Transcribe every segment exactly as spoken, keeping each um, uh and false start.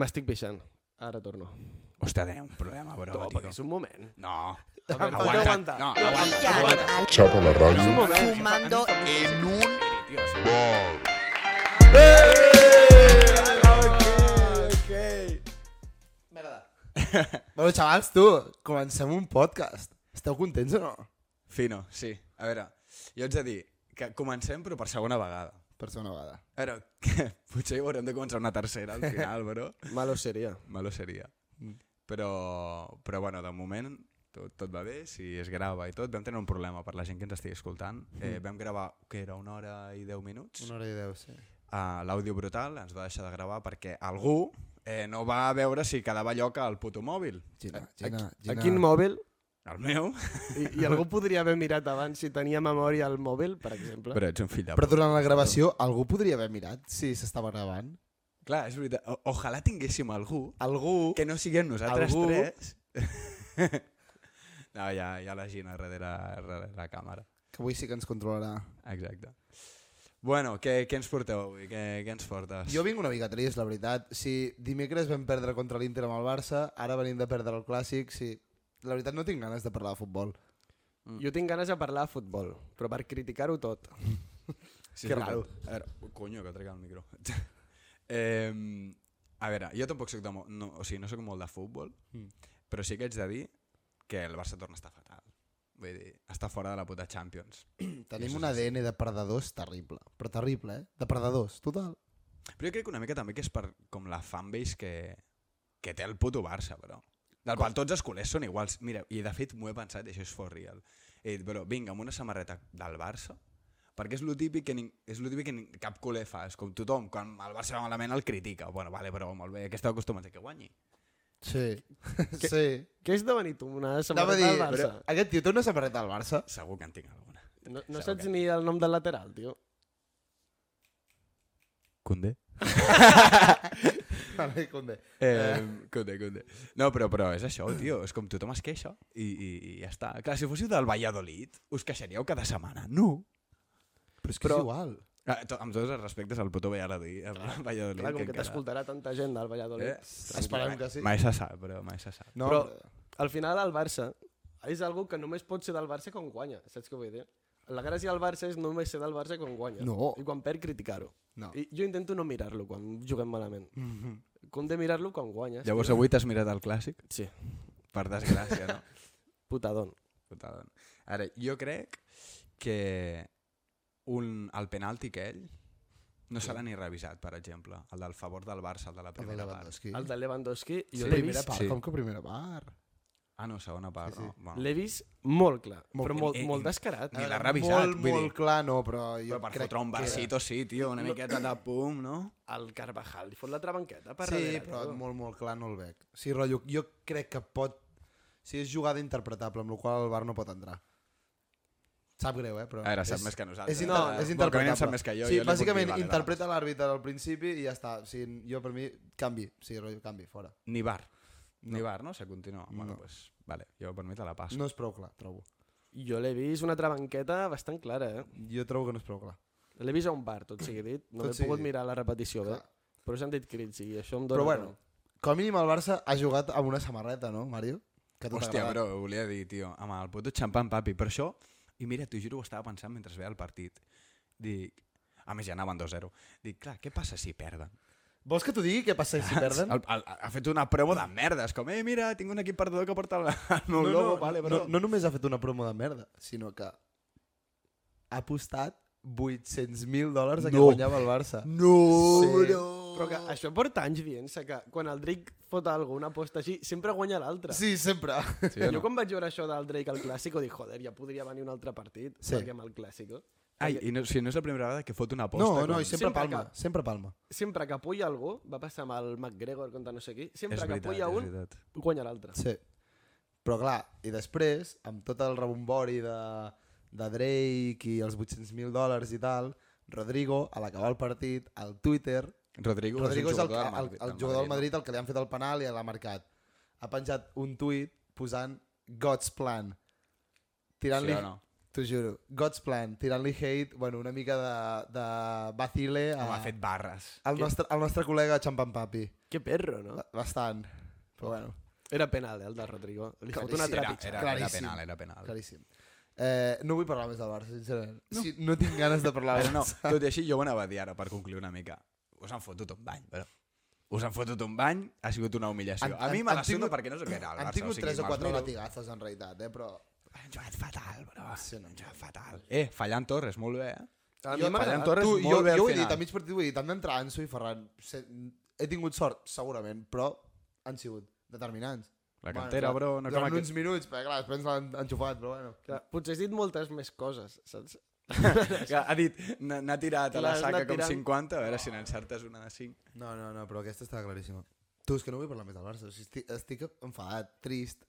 M'estic pixant. Ara torno. Hòstia, tenia un problema, bro, No, tio. perquè és un moment. No. Aguanta, Aguanta. aguanta. No, aguanta. aguanta. Chapa la És un ràdio. moment. Fumando En un... Merda. Bueno, xavals, tu, comencem un podcast. Esteu contents o no? Fino, sí. A veure, jo haig de dir que comencem però per segona vegada. Per ser una vegada. A veure, que potser hi haurem de començar una tercera al final, bro. Malo seria. Malo seria. Però, però bueno, de moment tot, tot va bé, si es grava i tot. Vam tenir un problema per la gent que ens estigui escoltant. Eh, vam gravar, que era una hora i deu minuts. Una hora i deu, sí. Uh, L'àudio brutal ens va deixar de gravar perquè algú eh, no va veure si quedava lloc al puto mòbil. Gina, A, Gina, a Gina. quin mòbil? El meu. I, I algú podria haver mirat abans si tenia memòria al mòbil, per exemple. Però ets un fill de Però puta. durant la gravació algú podria haver mirat si s'estava gravant. Clar, és veritat. O ojalà tinguéssim algú Algú... que no siguem nosaltres Algú- tres. No, ja, ja la Gina darrere, darrere la càmera. Que avui sí que ens controlarà. Exacte. Bueno, què, què ens porteu avui? Què, què ens portes? Jo vinc una mica trist, la veritat. Si dimecres vam perdre contra l'Inter amb el Barça, ara venim de perdre el Clàssic, sí. La veritat no tinc ganes de parlar de futbol. Jo tinc ganes de parlar de futbol, però per criticar-ho tot. Sí, Que és raro. veritat. A veure, conyo, que trec el micro. eh, a veure, jo tampoc soc de... Mo no, o sigui, no soc molt de futbol, Mm. però sí que haig de dir que el Barça torna a estar fatal. Vull dir, està fora de la puta Champions. Tenim un A D N de perdedors terrible. Però terrible, eh? De perdedors, total. Però jo crec que una mica també que és per com la fanbase que, que té el puto Barça, però. Del qual tots els culers són iguals. Mira, i de fet m'ho he pensat, i això és for real. He dit, però vinga, amb una samarreta del Barça, perquè és lo típic que, ning, és lo típic que ning, cap culer fa. És com tothom, quan el Barça va malament el critica. Bueno, vale, però molt bé, que esteu acostumats a que guanyi. Sí. Que- sí. Què és devenir tu? Una Anava a samarreta dir, del Barça? però aquest tio té una samarreta del Barça? Segur que en tinc alguna. No, no Segur saps que- ni el nom del lateral, tio. Condé? Vale, Condé. Eh, Condé, Condé. No, però, però és això, tio. És com tothom es queixa i, i, i ja està. Clar, si fóssiu del Valladolid, us queixaríeu cada setmana. No. Però és que Però- és igual. Ah, to, amb tots els respectes al puto Valladolid. El Valladolid Clar, com que encara- t'escoltarà tanta gent del Valladolid. Eh, Esperem que sí. Mai se sap, però mai se sap. No, Però al final el Barça és algo que només pot ser del Barça quan guanya, saps què vull dir? La gràcia del Barça és només ser del Barça quan guanya. No. I quan perd, criticar-ho. no. I jo intento no mirar-lo quan juguem malament. Com de mirar-lo quan guanyes. Llavors avui t'has mirat el clàssic? Sí, Per desgràcia, no? putadón. Putada. Ara, jo crec que un, el penalti aquell no serà ni revisat, per exemple. El del favor del Barça, el de la El de primera part. Lewandowski. El de Lewandowski, jo Sí. l'he Primera vist, part, sí. com que primera part? Ah, no, segona part, Sí, sí. no? Bueno. l'he vist molt clar, Molt però clar. molt, I- i- molt descarat. Ni A l'ha veure, revisat, Molt, vull molt dir. clar, no, però jo Però per crec fotre un que... versito, sí, tio, una miqueta de pum, no? El Carvajal li fot la trabanqueta per Sí, darrere. però tio. molt, molt clar no el veig. Sí, rotllo, jo crec que pot... Si és jugada interpretable, amb la qual el Bar no pot entrar. Sap greu, eh? Però A veure, sap és, més que nosaltres. És, inter No, és bueno, interpretable. com a mínim sap més que jo, sí, jo li puc bàsicament dir, vale, interpreta l'àrbitre al principi i ja està. O sigui, jo per mi, canvi. Sí, rotllo, canvi, fora. Ni bar. No. Ni bar, no? Se continua. Bueno, No. pues, vale, jo per mi te la passo. No és prou clar, trobo. Jo l'he vist una trabanqueta bastant clara, eh? Jo trobo que no és prou clar. L'he vist a un bar, tot sigui dit. No Tot he sigui pogut dit. mirar la repetició, bé. Clar. Però s'han dit crits i això em dona... Però bueno, com a mínim el Barça ha jugat amb una samarreta, no, Mario? Que a tu Hòstia, t'agrada. bro, volia dir, tio, amb el puto xampan papi. Per això, i mira, t'ho juro, ho estava pensant mentre veia el partit. Dic, a més ja anaven dos zero. Dic, clar, què passa si perden? Vols que t'ho digui què passa si perden? El, el, ha fet una promo de merdes, com, eh, mira, tinc un equip perdedor que porta el, el meu no, logo, no, vale, no, bro. no només ha fet una promo de merda, sinó que ha apostat vuit-cents mil dòlars a que No. guanyava el Barça. No, Sí. bro. Però que això porta anys dient-se que quan el Drake fot alguna una aposta així, sempre guanya l'altre. Sí, sempre. Sí, o Jo no? quan vaig veure això del Drake al Clàssico dic, joder, ja podria venir un altre partit, Sí. perquè amb el Clàssico. Ai, i no, si no és la primera vegada que fot una aposta. No, no, com... i sempre, Sempre palma, que- sempre palma. Sempre que apoya algú, va passar amb el McGregor contra no sé qui, sempre És que veritat, apoya és un, veritat. guanya l'altre. Sí. Però clar, i després, amb tot el rebombori de, de Drake i els vuit-cents mil dòlars i tal, Rodrigo, a l'acabar el partit, al Twitter, Rodrigo, Rodrigo és el, jugador el, del el, Madrid, el jugador del Madrid al que li han fet el penal i l'ha marcat. Ha penjat un tuit posant God's Plan, tirant-li Sí o no? T'ho juro. God's Plan, tirant-li hate, bueno, una mica de, de vacile a, Com ha fet barres. al, nostre, al nostre col·lega Champan Papi. Que perro, no? Ba- Bastant. Però bueno, Era penal, eh, el de Rodrigo. Li fot Claríssim. una Era, trepitjada. era, era Claríssim. penal, era penal. claríssim. Eh, no vull parlar més del Barça, sincerament. No, sí, no tinc ganes de parlar Però del no, Barça. tot i així jo ho anava a dir ara per concluir una mica. Us han fotut un bany, però... Us han fotut un bany, ha sigut una humiliació. Han- a mi han- me han la suda tingut- perquè no sé què era el Barça. Han tingut o sigui, tres o me'ls quatre miro. latigazos, en realitat, eh? Però... Han jugat fatal, però. Sí, no. Han jugat fatal. Eh, fallant Torres, molt bé, eh? A Jo- mi m'ha Ferran agradat. Torres Tu, molt jo, bé al jo ho he final. dit, a mig partit ho he dit, han d'entrar Anso i Ferran. Se, he tingut sort, segurament, però han sigut determinants. La cantera, Bueno, bro, no com durant aquest... uns minuts, perquè clar, després ens l'han enxufat, però bueno. Clar, potser has dit moltes més coses, saps? Que ha dit, n'ha n'ha tirat a la L'has saca anat com tirant. cinquanta, a veure si n'encertes una de cinc. No, no, no, però aquesta està claríssima. Tu, és que no vull parlar més del Barça. O sigui, estic, estic enfadat, trist.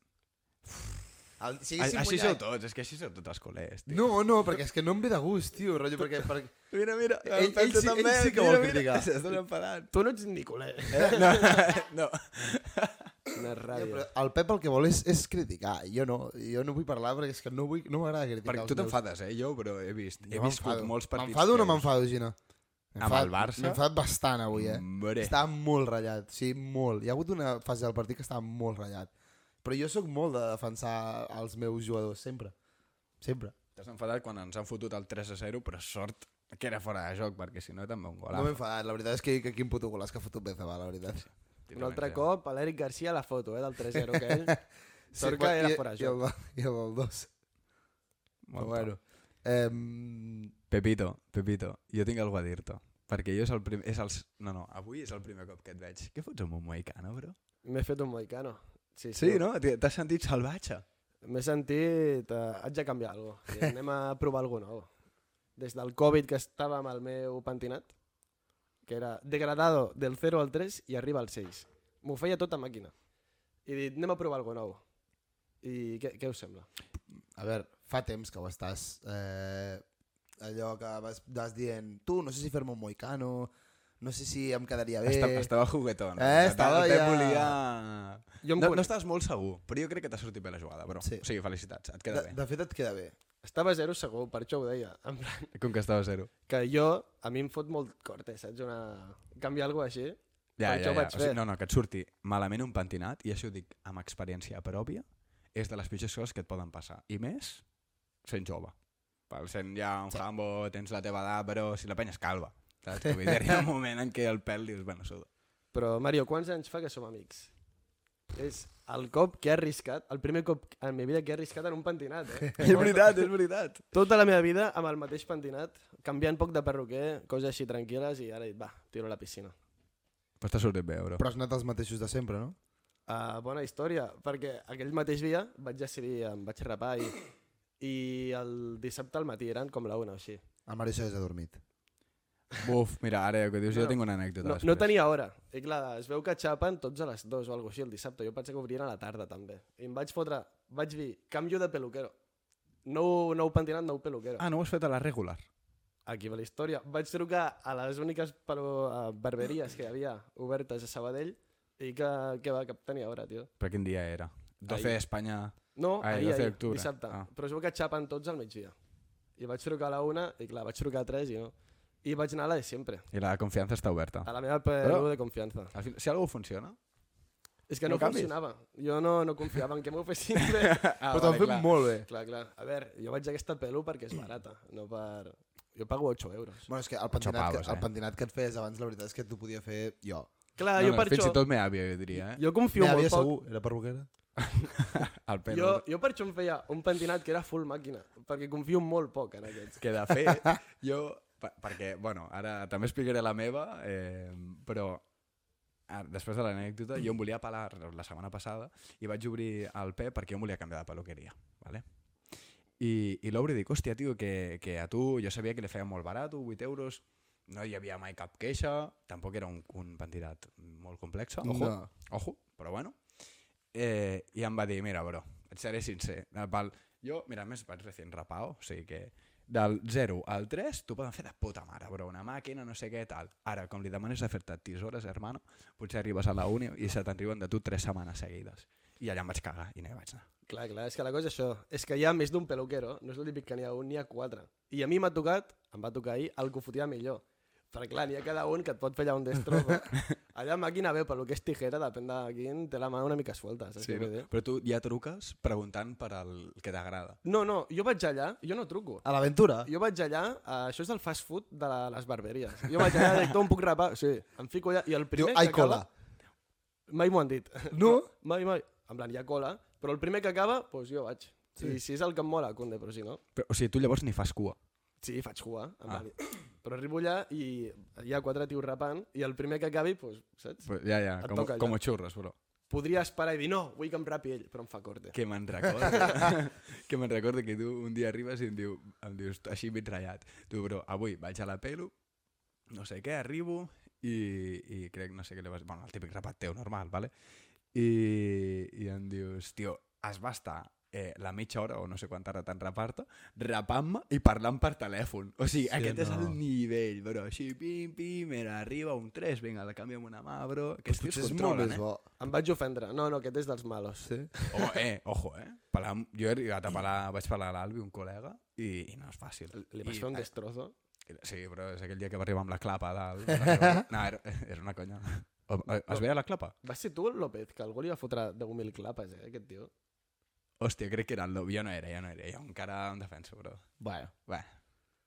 El, si A, haguéssim així guanyat- sou tots, és que així sou tots els culers, tio. No, no, perquè és que no em ve de gust, tio, rotllo, perquè... perquè... Mira, mira, Ell- ell sí- ell sí que vol criticar. S'està enfadant. Tu no ets ni culer. Eh? No, no. Una Ja, ràbia. però el Pep el que vol és, és criticar, jo no, jo no vull parlar perquè és que no, vull, no m'agrada criticar Perquè els tu meus. t'enfades, eh? Jo, però he vist, he Jo viscut m'enfado. molts partits. M'enfado o no teus. m'enfado, Gina? Amb el Barça? M'he enfadat bastant avui, eh? Hombre. Estava molt ratllat, sí, molt. Hi ha hagut una fase del partit que estava molt ratllat. Però jo sóc molt de defensar els meus jugadors, sempre. Sempre. T'has enfadat quan ens han fotut el tres a zero, però sort que era fora de joc, perquè si no també un No golazo. m'he enfadat, la veritat és que, que quin puto golaç que ha fotut Benzema, la veritat. Un altre cop, a l'Eric Garcia a la foto, eh, del tres zero que ell... Sí, Sort que era i- fora de I el, joc. i el del dos. Però bueno. Eh, Pepito, Pepito, jo tinc alguna a dir-te. Perquè jo és el primer... És els... No, no, avui és el primer cop que et veig. Què fots amb un moicano, bro? M'he fet un moicano. Sí, Sí, no? T'hi- T'has sentit salvatge? M'he sentit... Eh, haig de canviar alguna cosa. Anem a provar alguna cosa nou. Des del Covid que estava amb el meu pentinat, que era degradado del zero al tres i arriba al sis. M'ho feia tot a màquina. I he dit, anem a provar alguna nou. I què, què us sembla? a veure, fa temps que ho estàs... Eh, allò que vas, vas dient, tu, no sé si fer-me un moicano, no sé si em quedaria bé... Estava, estava juguetón. Eh, estava el Pep ja- volia... Jo em No, con- no estaves molt segur, però jo crec que t'ha sortit bé la jugada, bro. Sí. O sigui, felicitats, et queda De, bé. de fet, et queda bé. Estava a zero segur, per això ho deia. En plan, Com que estava a zero. que jo, a mi em fot molt corte, saps? Una... Canviar alguna cosa així. Ja, Per ja, això ho ja. vaig O sigui, fer. no, no, que et surti malament un pentinat, i això ho dic amb experiència pròpia, és de les pitjors coses que et poden passar. I més, sent jove. Pel sent ja un jambo, tens la teva edat, però si la penya és calva. Saps? Que vull dir, hi ha un moment en què el pèl dius, bueno, suda. Però, Mario, quants anys fa que som amics? És el cop que he arriscat, el primer cop en la meva vida que he arriscat en un pentinat, eh? És veritat, és veritat. Tota la meva vida amb el mateix pentinat, canviant poc de perruquer, coses així tranquil·les, i ara he dit, va, tiro a la piscina. Però t'ha sortit bé, bro. Però has anat els mateixos de sempre, no? Uh, bona història, perquè aquell mateix dia vaig decidir, em vaig rapar i, i el dissabte al matí eren com la una o així. El Mario s'ha dormit. Buf, mira, ara que dius, jo No, tinc una anècdota No, després. no tenia hora. I clar, es veu que xapen tots a les dues o alguna cosa així el dissabte. Jo pensava que obrien a la tarda també. I em vaig fotre, vaig dir, canvio de peluquero. Nou, nou pentinat, nou peluquero. Ah, no ho has fet a la regular? Aquí va la història. Vaig trucar a les úniques pelu- a barberies que hi havia obertes a Sabadell i que, que va, que tenia hora, tio. Però quin dia era? doce Ahir. Espanya... No, Ah, ahir, doce ahir, d'octubre. dissabte. Ah. Però es veu que xapen tots al migdia. I vaig trucar a la una i clar, vaig trucar a tres i no. I vaig anar a la de sempre, I la confiança està oberta. a la meva pelu Però- de confiança. Al final, si algú funciona... És que no no, canvis. funcionava. Jo no, no confiava en que m'ho fessin bé. Ah, Però t'ho han fet molt bé. Clar, clar. A veure, jo vaig a aquesta pelu perquè és barata, no per... Jo pago ocho euros. Bueno, és que el pentinat, pavos, que, el eh? pentinat que et feies abans, la veritat és que t'ho podia fer jo. Clar, no, jo no, per fins això... i tot meva àvia, jo diria, eh? Jo confio Mira, molt havia poc. segur, era perruquera. El pèl. Jo, jo per això em feia un pentinat que era full màquina, perquè confio molt poc en aquests. Que de fet, jo... per- Perquè, bueno, ara també explicaré la meva, eh, però ara, després de l'anècdota, jo em volia pelar la setmana passada i vaig obrir el Pep perquè jo em volia canviar de peluqueria, ¿vale? I, i l'obro i dic, hòstia, tio, que, que a tu jo sabia que li feia molt barat, vuit euros, no hi havia mai cap queixa, tampoc era un, un pentinat molt complex, ojo, No. ojo, però bueno. Eh, I em va dir, mira, bro, et seré sincer, pel, jo, mira, a més vaig recient rapao, o sigui que del zero al tres t'ho poden fer de puta mare, bro, una màquina, no sé què, tal. Ara, com li demanes de fer-te tisores, hermano, potser arribes a la uni i se t'enriben de tu tres setmanes seguides. i allà em vaig cagar i no hi vaig anar. Clar, clar, és que la cosa és això. És que hi ha més d'un peluquero, no és el típic que n'hi ha un, n'hi ha quatre. I a mi m'ha tocat, em va tocar ahir, el que ho fotia millor. Perquè clar, n'hi ha cada un que et pot fer allà un destrozo. Allà màquina bé, pel que és tijera, depèn de quin, té la mà una mica suelta. Saps Sí, què no? vull dir? Però tu ja truques preguntant per al que t'agrada. No, no, jo vaig allà, jo no truco. A l'aventura? Jo vaig allà, uh, això és el fast food de la, les barberies. Jo vaig allà, dic, em puc rapar? Sí, em fico allà, i el Diu, primer ai, que acaba... cola. Mai m'ho han dit. No? Mai, mai. En plan, hi ha cola, però el primer que acaba, doncs jo vaig. Sí. I si és el que em mola, conde, però si no... Però, o sigui, tu llavors ni fas cua. Sí, faig jugar. En Ah. plan, però arribo allà i hi ha quatre tios rapant i el primer que acabi, doncs, saps? Pues ja, ja, Et com, toca allà. com a xurros, bro. Podria esperar i dir, no, vull que em rapi ell, però em fa corte. Que me'n recorda. que me'n recorda que tu un dia arribes i em, diu, em dius, així mig ratllat. Tu, bro, avui vaig a la pelo, no sé què, arribo i, i crec, no sé què li vas... Bueno, el típic rapat teu, normal, vale? I, i em dius, tio, es va estar eh, la mitja hora o no sé quanta hora tan rapar-te, rapant-me i parlant per telèfon. O sigui, Sí, aquest no. és el nivell, bro. Així, pim, pim, mira, arriba un tres, vinga, la canvio amb una mà, bro. Aquests tios Potser és molt controlen, més eh? bo. Em vaig ofendre. No, no, aquest és dels malos. Sí? Oh, eh, ojo, eh? Pelar, jo he arribat a pelar, vaig parlar a l'Albi, un col·lega, i, i no és fàcil. Li vas I, fer un eh, destrozo. Sí, però és aquell dia que va arribar amb la clapa a dalt. No, era, era una conya. O, o, es veia la clapa? Va ser tu, el López, que algú li va fotre deu mil clapes, eh, aquest tio. Hòstia, crec que era el López. Jo no era, jo no era. Jo encara em defenso, però... Bueno. Bé.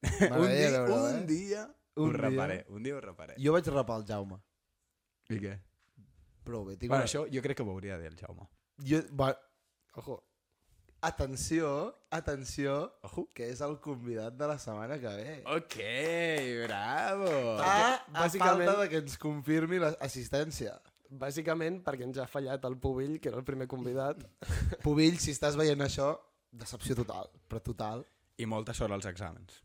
Un M'agradaria dia, veure-ho, un eh? dia Un ho dia. reparé. Un dia ho reparé. Jo vaig rapar el Jaume. I què? Prou bé. Tinc Bueno, una... això jo crec que ho hauria de dir el Jaume. Jo... Va... Ojo. Atenció, atenció, Ojo. que és el convidat de la setmana que ve. Ok, bravo. Ah, a bàsicament- falta de que ens confirmi l'assistència. Bàsicament perquè ens ha fallat el Pubill, que era el primer convidat. Pubill, si estàs veient això, decepció total, però total. I molta sort als exàmens.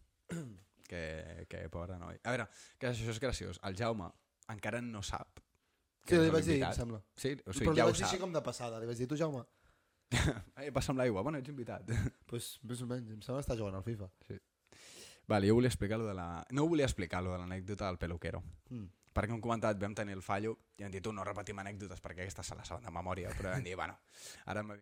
que, que pobre noi. A veure, que això és graciós. El Jaume encara no sap Sí, és li vaig dir, l'invitat. em sembla. Sí, o Però sigui, li ja ho vaig dir així sap. com de passada. Li vaig dir, tu, Jaume? Eh, passa amb l'aigua, bueno, ets invitat. Pues, més o menys, em sembla que està jugant al FIFA. Vale, jo volia explicar lo de la... No volia explicar lo de l'anècdota del peluquero. Mm. Perquè hem comentat, vam tenir el fallo i hem dit, tu no repetim anècdotes perquè aquesta se la saben de memòria, però vam dir, bueno, ara m'ha